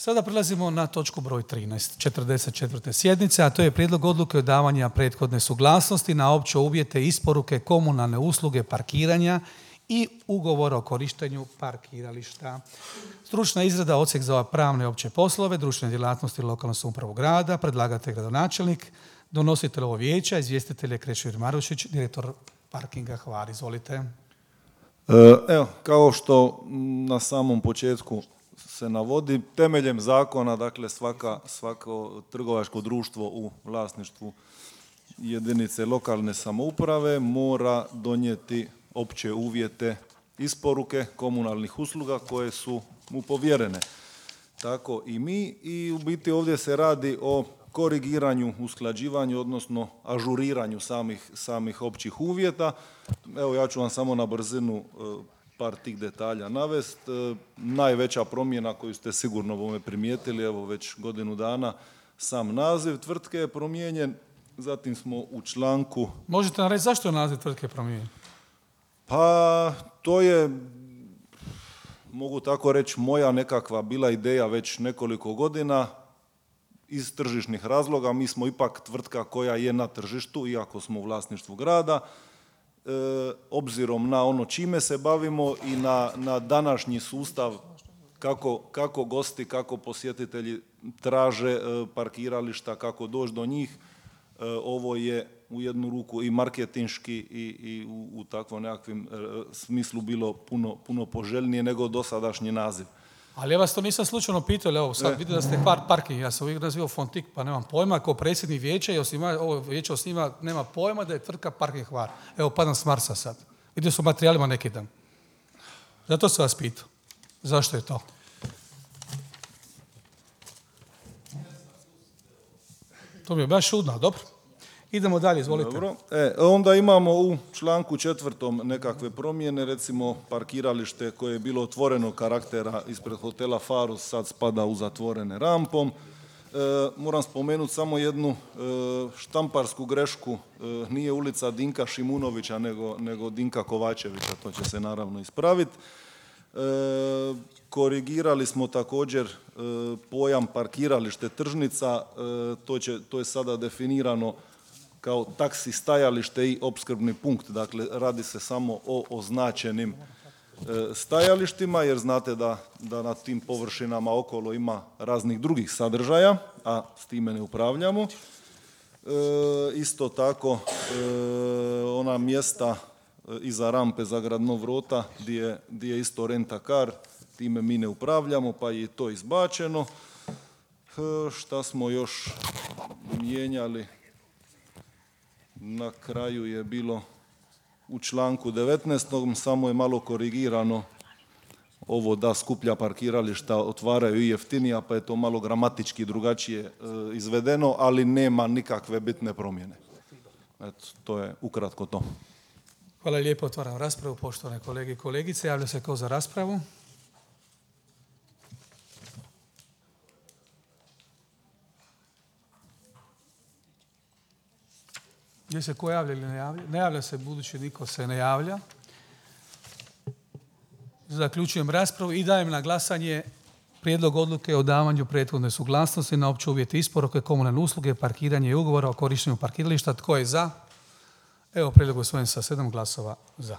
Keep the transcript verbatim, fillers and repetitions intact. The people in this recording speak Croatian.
Sada prelazimo na točku broj trinaest, četrdeset četvrte sjednice, a to je prijedlog odluke o davanju prethodne suglasnosti na opće uvjete isporuke komunalne usluge parkiranja i ugovora o korištenju parkirališta. Stručna izrada odsjek za pravne opće poslove, društvene djelatnosti lokalne samouprave grada, predlagatelj gradonačelnik, donositelj ovo vijeća, izvjestitelj je Krešimir Marušić, direktor parkinga Hvar. Izvolite. Evo, kao što na samom početku se navodi, temeljem zakona, dakle svaka, svako trgovačko društvo u vlasništvu jedinice lokalne samouprave mora donijeti opće uvjete isporuke komunalnih usluga koje su mu povjerene. Tako i mi, i u biti ovdje se radi o korigiranju, usklađivanju, odnosno ažuriranju samih, samih općih uvjeta. Evo, ja ću vam samo na brzinu par tih detalja navest. Najveća promjena koju ste sigurno bome primijetili, evo već godinu dana, sam naziv tvrtke je promijenjen. Zatim smo u članku... Možete nam reći zašto je naziv tvrtke promijenjen? Pa to je, mogu tako reći, moja nekakva bila ideja već nekoliko godina iz tržišnih razloga. Mi smo ipak tvrtka koja je na tržištu, iako smo u vlasništvu grada. E, obzirom na ono čime se bavimo i na, na današnji sustav kako, kako gosti, kako posjetitelji traže e, parkirališta, kako doći do njih, e, ovo je u jednu ruku i marketinški i, i u, u takvom nekakvim e, smislu bilo puno, puno poželjnije nego dosadašnji naziv. Ali ja vas to nisam slučajno pitao, evo sad e. vidim da ste Hvar parking, ja sam uvijek nazivao Fontik, pa nemam pojma, kao predsjednik vijeća i osniva, ovo vijeće osniva, nema pojma da je tvrtka parking Hvar. Evo, padam s Marsa sad. Vidio sam u materijalima neki dan. Zato sam vas pitao. Zašto je to? To mi je baš čudno, dobro. Idemo dalje, izvolite. Dobro. E, onda imamo u članku četvrtom nekakve promjene, recimo parkiralište koje je bilo otvorenog karaktera ispred hotela Farus sad spada u zatvorene rampom. E, moram spomenuti samo jednu e, štamparsku grešku, e, nije ulica Dinka Šimunovića nego, nego Dinka Kovačevića, to će se naravno ispraviti. E, korigirali smo također e, pojam parkiralište tržnica, e, to, će, to je sada definirano kao taksi stajalište i opskrbni punkt. Dakle, radi se samo o označenim e, stajalištima, jer znate da, da na tim površinama okolo ima raznih drugih sadržaja, a s time ne upravljamo. E, isto tako, e, ona mjesta e, iza rampe za grad Nov Rota, gdje, gdje je isto renta-car, time mi ne upravljamo, pa je to izbačeno. E, šta smo još mijenjali? Na kraju je bilo u članku devetnaestom samo je malo korigirano ovo da skuplja parkirališta otvaraju i jeftinija, pa je to malo gramatički drugačije e, izvedeno, ali nema nikakve bitne promjene. Eto, to je ukratko to. Hvala lijepo, otvaram raspravu, poštovane kolege i kolegice. Javlja se ko za raspravu? Gdje se ko javlja ili ne javlja? Ne javlja se, budući niko se ne javlja. Zaključujem raspravu i dajem na glasanje prijedlog odluke o davanju prethodne suglasnosti na opće uvjete isporuke komunalne usluge, parkiranje i ugovora o korištenju parkirališta. Tko je za? Evo, prijedlog usvojen sa sedam glasova za.